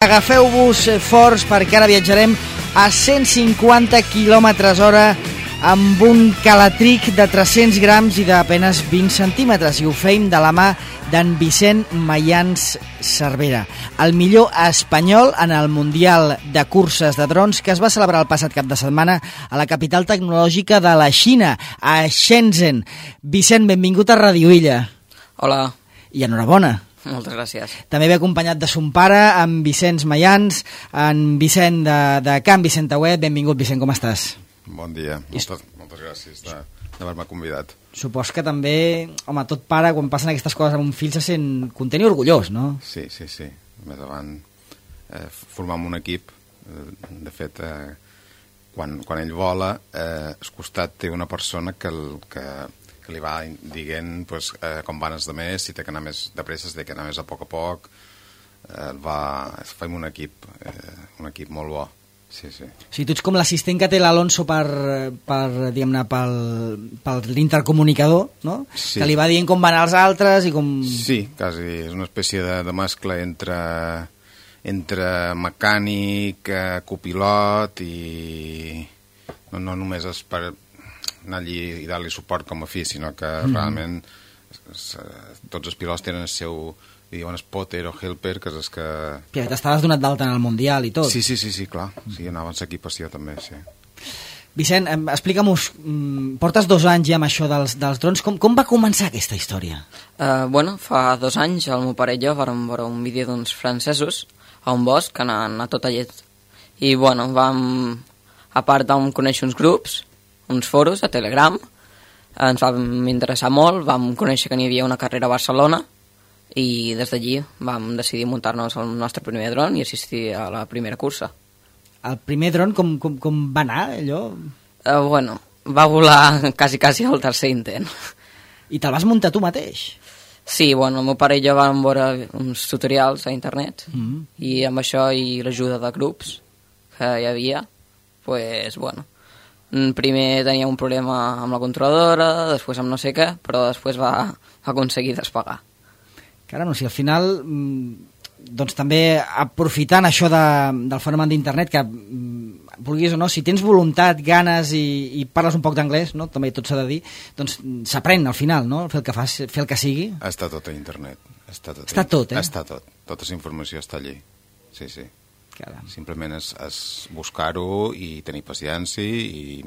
Agafeu-vos forts perquè ara viatjarem a 150 km/h amb un calatric de 300 grams i d'apenes 20 centímetres, i ho feim de la mà d'en Vicent Mayans Cervera, el millor espanyol en el Mundial de Curses de Drons que es va celebrar el passat cap de setmana a la capital tecnològica de la Xina, a Shenzhen. Vicent, benvingut a Radio Illa. Hola. I enhorabona. Moltes gràcies. També ve acompanyat de son pare, en Vicenç Mayans, en Vicent de Can Vicent Auet. Benvingut, Vicent, com estàs? Bon dia, moltes gràcies d'haver-me convidat. Supos que també, home, tot pare, quan passen aquestes coses amb un fill, se sent content i orgullós, no? Sí. Més avant formam un equip. De fet, quan ell vola, al costat té una persona que li va dient com van els demés, si té que anar més de pressa, si té que anar més a poc, fem un equip molt bo. Sí. O sigui, tu ets com l'assistent que té l'Alonso per l'intercomunicador, no? Sí. Que li va dient com van els altres i com... Sí, quasi és una espècie de mescla entre mecànic, copilot i... No només és per anar allí i dar-li suport com a fi, sinó que realment tots els pilots tenen el seu, diuen spotter o helper, que és el que... Que t'estaves donat d'alta en el Mundial i tot. Sí, clar. Sí, anava en l'equipació també, sí. Vicent, explica'm-nos, portes 2 anys ja amb això dels drons, com va començar aquesta història? Fa 2 anys el meu pare i jo vam veure un vídeo d'uns francesos a un bosc anant a tota llet. I a part vam conèixer uns grups, uns foros a Telegram, ens vam interessar molt, vam conèixer que n'hi havia una carrera a Barcelona i des d'allí vam decidir muntar-nos el nostre primer dron i assistir a la primera cursa. El primer dron com va anar, allò? Va volar quasi al tercer intent. I te'l vas muntar tu mateix? Sí, el meu pare i jo vam veure uns tutorials a internet i amb això i l'ajuda de grups que hi havia, primer tenia un problema amb la controladora, després amb no sé què, però després va aconseguir despegar. Caram, si al final, doncs també aprofitant això del fenomen d'internet, que vulguis o no, si tens voluntat, ganes i parles un poc d'anglès, no? També tot s'ha de dir, doncs s'aprèn al final, no? Fer el que sigui. Està tot a internet. Està tot, eh? Està tot. Tota la informació està allí. Sí. Caram. Simplement és buscar-ho i tenir paciència i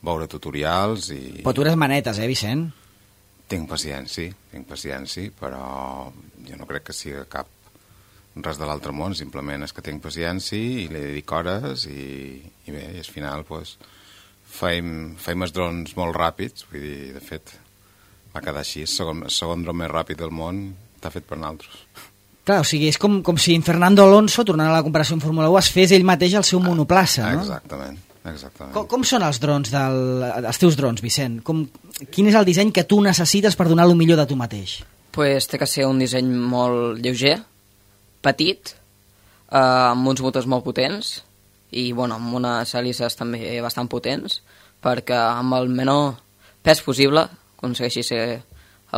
veure tutorials i... Però tu eres manetes, Vicent? Tinc paciència, però jo no crec que sigui res de l'altre món, simplement és que tinc paciència i li dedico hores i bé, i al final feim els drons molt ràpids, vull dir, de fet va quedar així, el segon dron més ràpid del món està fet per nosaltres. Clar, o sigui, és com si en Fernando Alonso, tornant a la comparació en Fórmula 1, es fes ell mateix el seu monoplaça, no? Exactament. Com són els drons, els teus drons, Vicent? Quin és el disseny que tu necessites per donar el millor de tu mateix? Té que ser un disseny molt lleuger, petit, amb uns motors molt potents i amb unes hèlices també bastant potents, perquè amb el menor pes possible aconsegueixi ser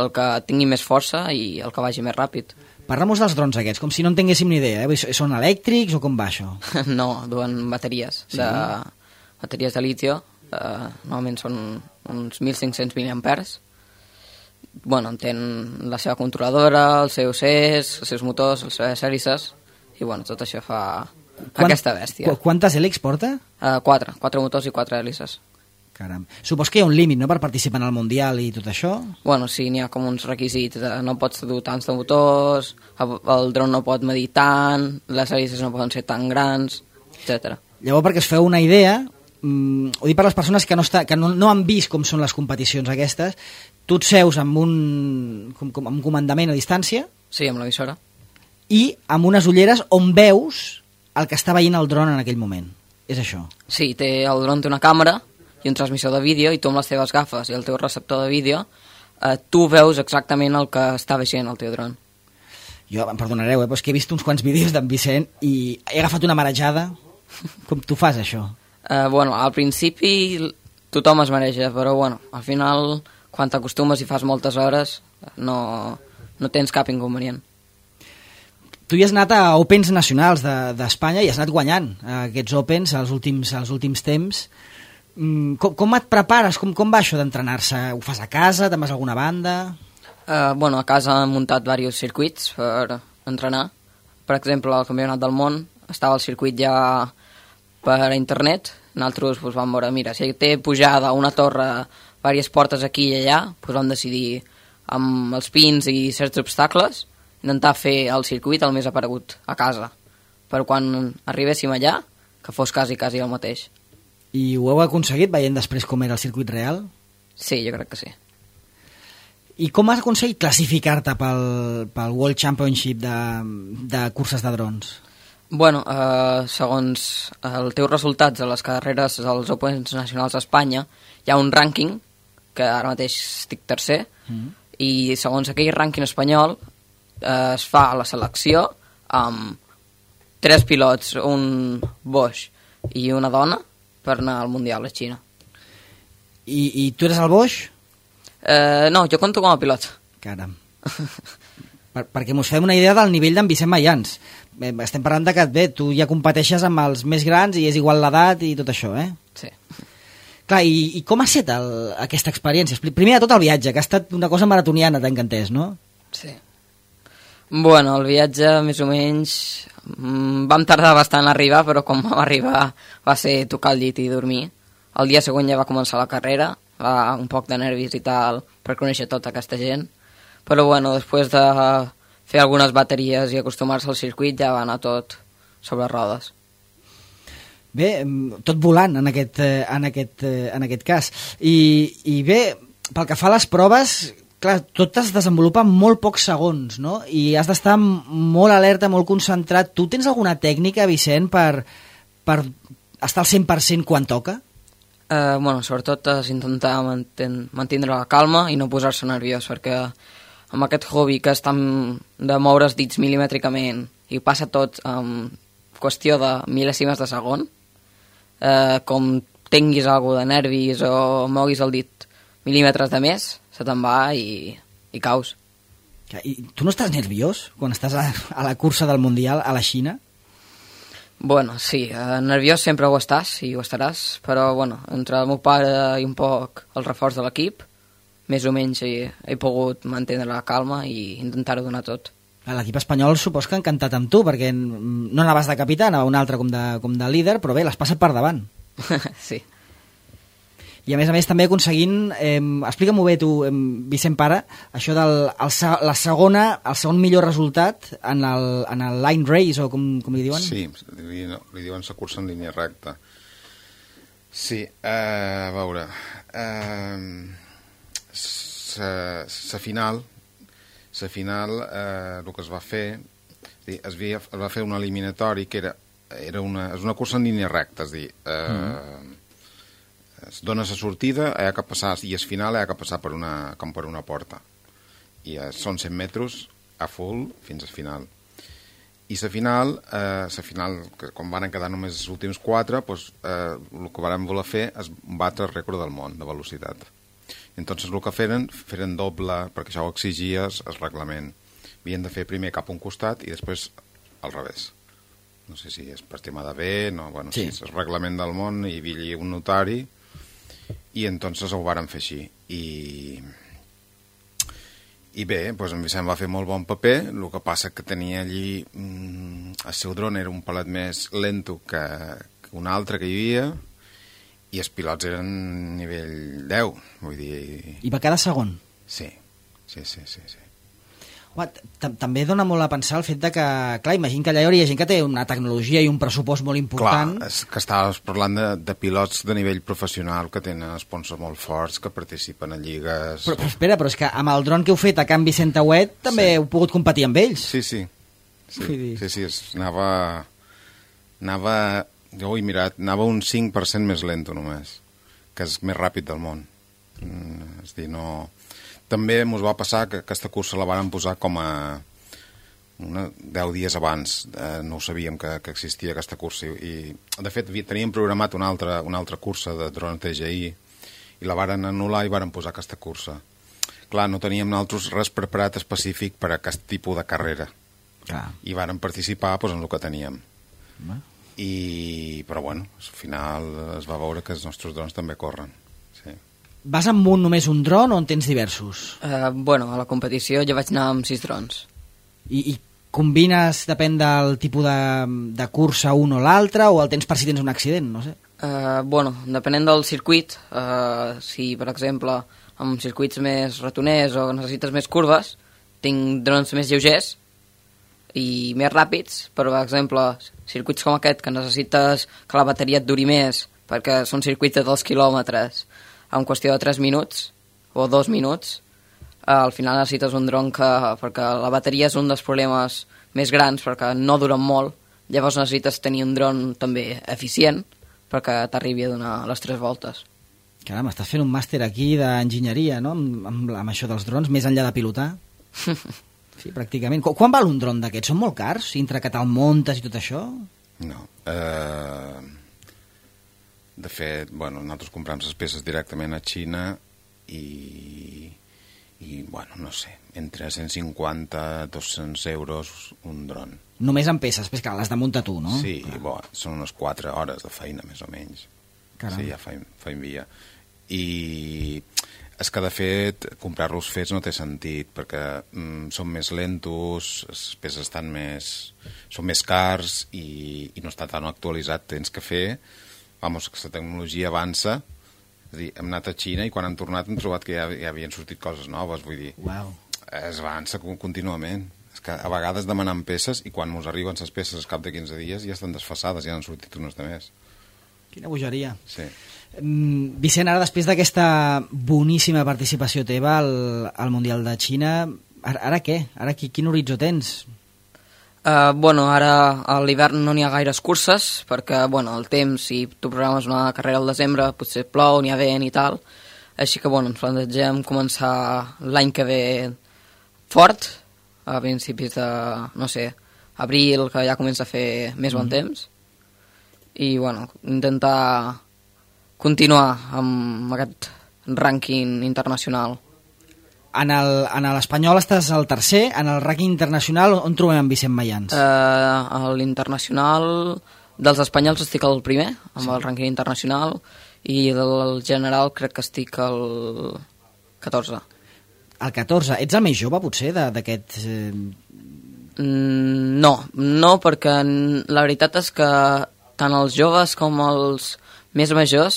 el que tingui més força i el que vagi més ràpid. Parla-nos dels drons aquests, com si no en tinguéssim ni idea. Són elèctrics o com va això? No, duen bateries. Sí? Bateries de litio. Normalment són uns 1.500 miliamperes. Tenen la seva controladora, els seus CEs, els seus motors, les seves hèlices, i tot això fa aquesta bèstia. Quantes hèlixs porta? 4 motors i 4 hèlices. Caram. Supos que hi ha un límit, no?, per participar en el Mundial i tot això? Sí, n'hi ha com uns requisits. No pots dur tants de motors, el dron no pot medir tant, les hèlices no poden ser tan grans, etc. Llavors, perquè es feu una idea, ho dic per les persones que no han vist com són les competicions aquestes, tu et seus amb un comandament a distància... Sí, amb la visora. I amb unes ulleres on veus el que està veient el dron en aquell moment. És això? Sí, el dron té una càmera i un transmissor de vídeo, i tu amb les teves gafes i el teu receptor de vídeo tu veus exactament el que està veient el teu dron. Jo, em perdonareu, però és que he vist uns quants vídeos d'en Vicent i he agafat una marejada. Com tu fas, això? Al principi tothom es mareja, però al final, quan t'acostumes i fas moltes hores, no tens cap inconvenient. tu hi has anat a Opens nacionals d'Espanya i has anat guanyant aquests Opens als últims temps. Com et prepares? Com va això d'entrenar-se? Ho fas a casa? Te'n vas a alguna banda? A casa hem muntat diversos circuits per entrenar. Per exemple, al Campionat del Món estava el circuit ja per internet. Nosaltres vam veure, mira, si té pujada una torre, diverses portes aquí i allà, vam decidir amb els pins i certs obstacles intentar fer el circuit el més aparegut a casa, per quan arribéssim allà que fos quasi el mateix. I ho heu aconseguit veient després com era el circuit real? Sí, jo crec que sí. I com has aconseguit classificar-te pel World Championship de curses de drons? Segons els teus resultats a les carreres dels Opens nacionals d'Espanya, hi ha un rànquing, que ara mateix estic tercer, i segons aquell rànquing espanyol es fa la selecció amb 3 pilots, un Bosch i una dona, per anar al Mundial a Xina. I tu eres el Bosch? No, jo compto com a pilot. Caram. Perquè mos fem una idea del nivell d'en Vicent Mayans. Estem parlant de que tu ja competeixes amb els més grans i és igual l'edat i tot això, eh? Sí. Clar, i com ha estat aquesta experiència? Primer de tot el viatge, que ha estat una cosa maratoniana, t'he entès, no? Sí. El viatge, més o menys, vam tardar bastant a arribar, però quan vam arribar va ser tocar el llit i dormir. El dia següent ja va començar la carrera, un poc de nervis i tal, per conèixer tota aquesta gent. Però després de fer algunes bateries i acostumar-se al circuit ja va anar tot sobre rodes. Bé, tot volant en aquest cas. I bé, pel que fa a les proves, clar, tot es desenvolupa en molt pocs segons, no? I has d'estar molt alerta, molt concentrat. Tu tens alguna tècnica, Vicent, per estar al 100% quan toca? Sobretot és intentar mantindre la calma i no posar-se nerviós, perquè amb aquest hobby que és tan de moure els dits milimètricament i passa tot en qüestió de mil·lèsimes de segon, com tinguis alguna de nervis o moguis el dit mil·límetres de més, se te'n va i caus. I tu no estàs nerviós quan estàs a la cursa del Mundial a la Xina? Sí, nerviós sempre ho estàs i ho estaràs, però entre el meu pare i un poc el reforç de l'equip, més o menys he pogut mantenir la calma i intentar-ho donar tot. L'equip espanyol supos que ha encantat amb tu, perquè no anaves de capità, anava un altre com de líder, però bé, l'has passat per davant. Sí. I a més també aconseguint, explica-m'ho bé tu, Vicent Pare, això del el segon millor resultat en el line race, o com li diuen? Sí, li diuen la cursa en línia recta. Sí, a veure, la final el que es va fer, es va fer un eliminatori que és una cursa en línia recta, és a dir, es dona la sortida, hi ha que passar, i el final hi ha que passar com per una porta. I són 100 metres a full fins al final. I la final, com van quedar només els últims 4, el que vam voler fer és batre el rècord del món de velocitat. Entonces el que feren doble, perquè això ho exigia el reglament. Havien de fer primer cap a un costat i després al revés. No sé si és per tema de bé, sí, és el reglament del món, hi havia un notari, i entonces ho varen fer així. I bé, en Vicent va fer molt bon paper, el que passa que tenia allí, el seu dron era un palet més lento que un altre que hi havia, i els pilots eren nivell 10, vull dir... I va quedar segon? Sí. Home, també dona molt a pensar el fet de que, clar, imagina que allà hi hauria gent que té una tecnologia i un pressupost molt important. Clar, és que estàs parlant de pilots de nivell professional que tenen sponsors molt forts, que participen a lligues... Però espera, però és que amb el dron que heu fet a Can Vicent Auet també heu pogut competir amb ells. Sí, anava... Jo ho he mirat, anava un 5% més lento només, que és més ràpid del món. És dir, no... També ens va passar que aquesta cursa la varen posar com a 10 dies abans. No ho sabíem que existia aquesta cursa. I de fet, teníem programat una altra cursa de dron TGI i la varen anul·lar i varen posar aquesta cursa. Clar, no teníem nosaltres res preparat específic per a aquest tipus de carrera. Clar. I vàrem participar doncs, en el que teníem. Va. Però bueno, al final es va veure que els nostres drons també corren. Sí. Vas amb només un dron o en tens diversos? Bueno, a la competició jo vaig anar amb 6 drons. I combines, depèn del tipus de cursa un o l'altre, o el tens per si tens un accident, no sé? Bueno, depenent del circuit, si per exemple amb circuits més ratoners o necessites més curves, tinc drons més lleugers i més ràpids, però per exemple circuits com aquest que necessites que la bateria et duri més perquè són circuits de 2 quilòmetres en qüestió de 3 minuts o 2 minuts, al final necessites un dron perquè la bateria és un dels problemes més grans perquè no duren molt, llavors necessites tenir un dron també eficient perquè t'arribi a donar les 3 voltes. Caram, estàs fent un màster aquí d'enginyeria, no?, amb això dels drons, més enllà de pilotar. Sí, pràcticament. Quan val un dron d'aquests? Són molt cars? Entre que te'l muntes i tot això? No. De fet, bueno, nosaltres comprem les peces directament a Xina i bueno, no sé, entre 150 i 200 euros un dron. Només amb peces, però que l'has de muntar tu, no? Sí, bo, són unes 4 hores de feina, més o menys. Caram. Sí, ja fa via. I és que, de fet, comprar-los fets no té sentit, perquè són més lentos, les peces són més cars i no està tan actualitzat. Tens que fer, que la tecnologia avança. És a dir, hem anat a Xina i quan hem tornat hem trobat que ja havien sortit coses noves, vull dir, Uau. es avança contínuament. És que a vegades demanem peces i quan ens arriben les peces al cap de 15 dies ja estan desfasades, ja han sortit unes de més. Quina bogeria. Sí. Vicent, ara després d'aquesta boníssima participació teva al Mundial de Xina, ara què? Ara quin horitzó tens? Bueno, ara a l'hivern no n'hi ha gaires curses, perquè bueno, el temps, si tu programes una carrera al desembre, potser plou, n'hi ha vent i tal. Així que bueno, ens plantegem començar l'any que ve fort, a principis de, no sé, abril, que ja comença a fer més bon temps. I bueno, intentar continuar amb aquest rànquing internacional. En l'Espanyol estàs al tercer, en el rànquing internacional on trobem en Vicent Mayans? A l'internacional dels espanyols estic al primer, amb el rànquing internacional, i del general crec que estic al 14. Al 14. Ets el més jove, potser, d'aquest... No, perquè la veritat és que tant els joves com els més majors,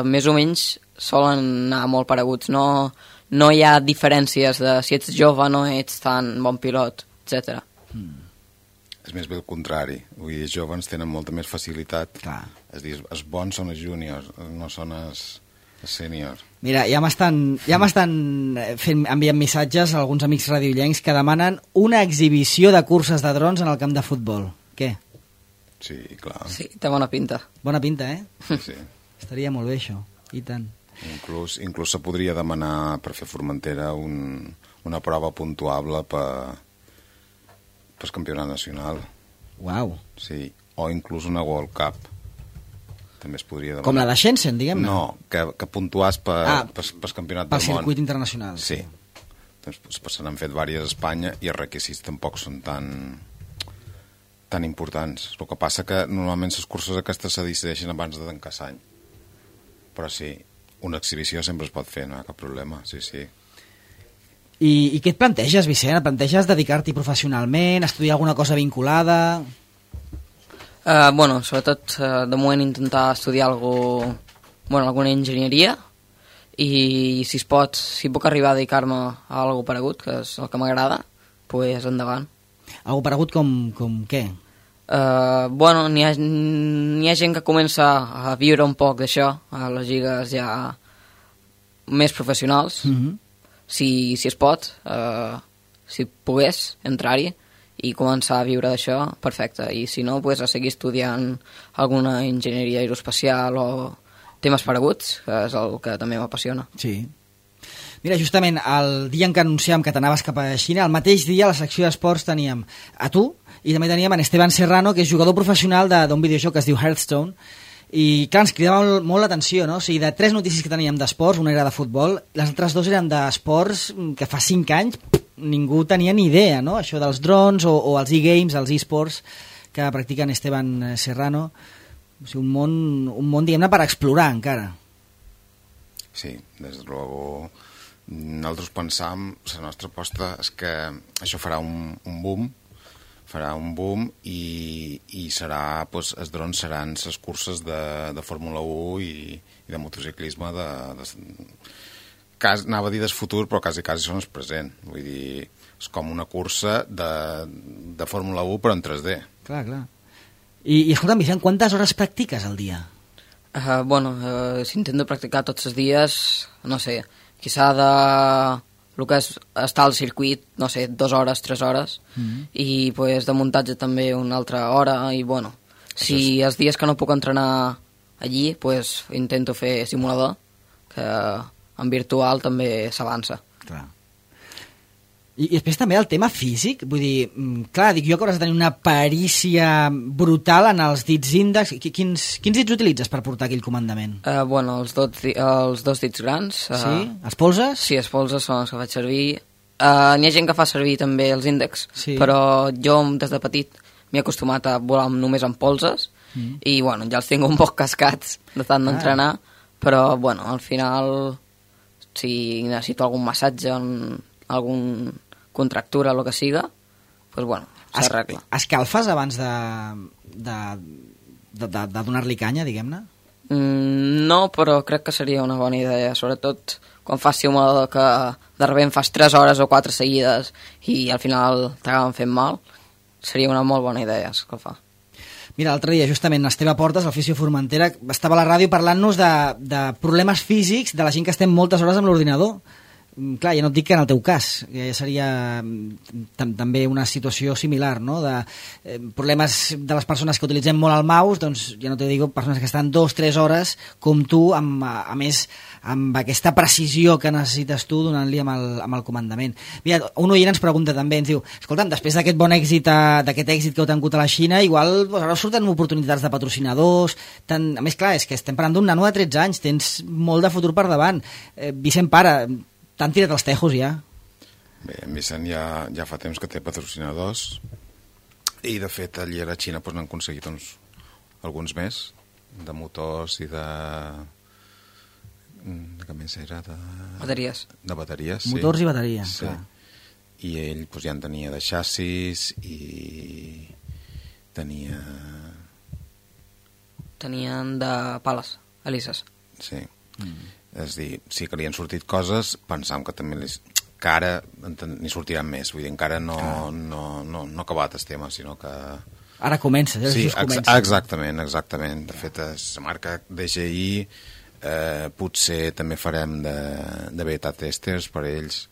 més o menys, solen anar molt pareguts. No hi ha diferències de si ets jove no ets tan bon pilot, etc. És més bé el contrari. Vull dir, els joves tenen molta més facilitat. Clar. És dir, els bons són els júniors, no són els sèniors. Mira, ja m'estan enviant missatges a alguns amics radiollencs que demanen una exhibició de curses de drons en el camp de futbol. Què? Sí, clar. Sí, té bona pinta. Bona pinta, eh? Sí. Estaria molt bé, això. I tant. Inclús se podria demanar per fer Formentera una prova puntuable per campionat nacional. Uau. Sí, o inclús una World Cup. També es podria demanar. Com la de Shenzhen, diguem-ne? No, que puntuàs per campionat del món. Pel circuit internacional. Sí. Doncs se n'han fet diverses a Espanya i els requisits tampoc són tan importants. El que passa que normalment les curses aquestes se decideixen abans de tancar l'any. Però sí, una exhibició sempre es pot fer, no hi ha cap problema, sí. I què et planteges, Vicent? Et planteges dedicar-t'hi professionalment, estudiar alguna cosa vinculada? Bueno, sobretot de moment intentar estudiar alguna enginyeria i si puc arribar a dedicar-me a alguna paregut, que és el que m'agrada, pues endavant. Algo paregut com què? Bueno, n'hi ha gent que comença a viure un poc d'això, a les lligues ja més professionals, si es pot, si pogués entrar-hi i començar a viure d'això, perfecte, i si no, pues, a seguir estudiant alguna enginyeria aeroespacial o temes pareguts, que és el que també m'apassiona. Sí. Mira, justament el dia en què anunciàvem que t'anaves cap a Xina, el mateix dia a la secció d'esports teníem a tu i també teníem en Esteban Serrano, que és jugador professional d'un videojoc que es diu Hearthstone, i clar, ens cridava molt l'atenció, no? O sigui, de 3 notícies que teníem d'esports, una era de futbol, les altres 2 eren d'esports que fa 5 anys ningú tenia ni idea, no?, això dels drons o els e-games, els e-sports que practiquen Esteban Serrano. O sigui, un món, diguem-ne, per explorar encara. Sí, des de luego nosaltres pensam, la nostra aposta és que això farà un boom i serà, doncs, els drons seran les curses de Fórmula 1 i de motociclisme anava a dir del futur, però quasi són el present. Vull dir, és com una cursa de Fórmula 1 però en 3D. Clar. I escolta'm, Vicent, quantes hores practiques al dia? Si intento practicar tots els dies, no sé, quizá el que és estar al circuit, no sé, 2 hores, 3 hores, i pues, de muntatge també una altra hora, i bueno, si els dies que no puc entrenar allí, pues, intento fer simulador, que en virtual també s'avança. Clar. I després també el tema físic, vull dir, clar, dic jo que hauràs de tenir una perícia brutal en els dits índex. Quins dits utilitzes per portar aquell comandament? Els dos dits grans. Sí? Els polzes? Sí, els polzes són els que faig servir. N'hi ha gent que fa servir també els índexs, sí. Però jo des de petit m'he acostumat a volar només amb polzes i ja els tinc un poc cascats de tant d'entrenar, però al final si necessito algun massatge, algun contractura, el que siga, doncs s'arregla. Escalfes abans de donar-li canya, diguem-ne? No, però crec que seria una bona idea, sobretot quan fas simulador que de repente fas 3 hores o 4 seguides i al final t'acaben fent mal, seria una molt bona idea escalfar. Mira, l'altre dia, justament, Esteve Portes, el Fisio Formentera, estava a la ràdio parlant-nos de problemes físics de la gent que estem moltes hores amb l'ordinador. Clar, ja no et dic que en el teu cas, que ja seria també una situació similar, no?, de problemes de les persones que utilitzem molt el mouse, doncs ja no t'ho dic, persones que estan 2-3 hores com tu, a més amb aquesta precisió que necessites tu donant-li amb el comandament. Mira, un oient ens pregunta també, ens diu, escolta'm, després d'aquest bon èxit, d'aquest èxit que heu tingut a la Xina, igual ara surten oportunitats de patrocinadors, a més, clar, és que estem parlant d'un nano de 13 anys, tens molt de futur per davant. Vicent, pare, t'han tirat els tejos ja? Bé, en Vicent ja fa temps que té patrocinadors i de fet allí a la Xina n'han aconseguit alguns més de motors i de què més era? Bateries. De bateries, sí. Motors i bateries, sí. Clar. I ell ja en tenia de xassis i tenien de pales, elises. Sí. És a dir, sí que li han sortit coses, pensàvem que també que ara n'hi sortiran més, vull dir, encara no ha acabat el tema, sinó que... Ara comença, sí, exactament. De fet, la marca DJI potser també farem de beta testers per ells,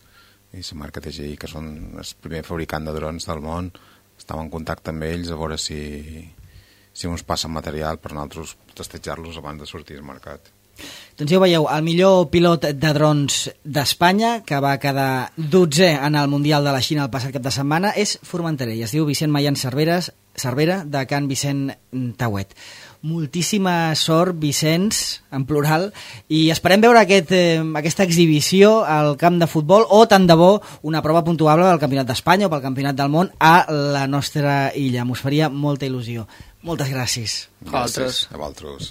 i la marca DJI, que són el primer fabricant de drons del món, estàvem en contacte amb ells a veure si ens passen material per nosaltres testejar-los abans de sortir al mercat. Doncs ja ho veieu, el millor pilot de drons d'Espanya, que va quedar 12è en el Mundial de la Xina el passat cap de setmana, és formenterer i es diu Vicent Mayans Cervera, de Can Vicent Tauet. Moltíssima sort, Vicenç, en plural, i esperem veure aquesta exhibició al camp de futbol o, tant de bo, una prova puntuable del Campionat d'Espanya o pel Campionat del Món a la nostra illa. M'ho faria molta il·lusió. Moltes gràcies. Gràcies a vosaltres.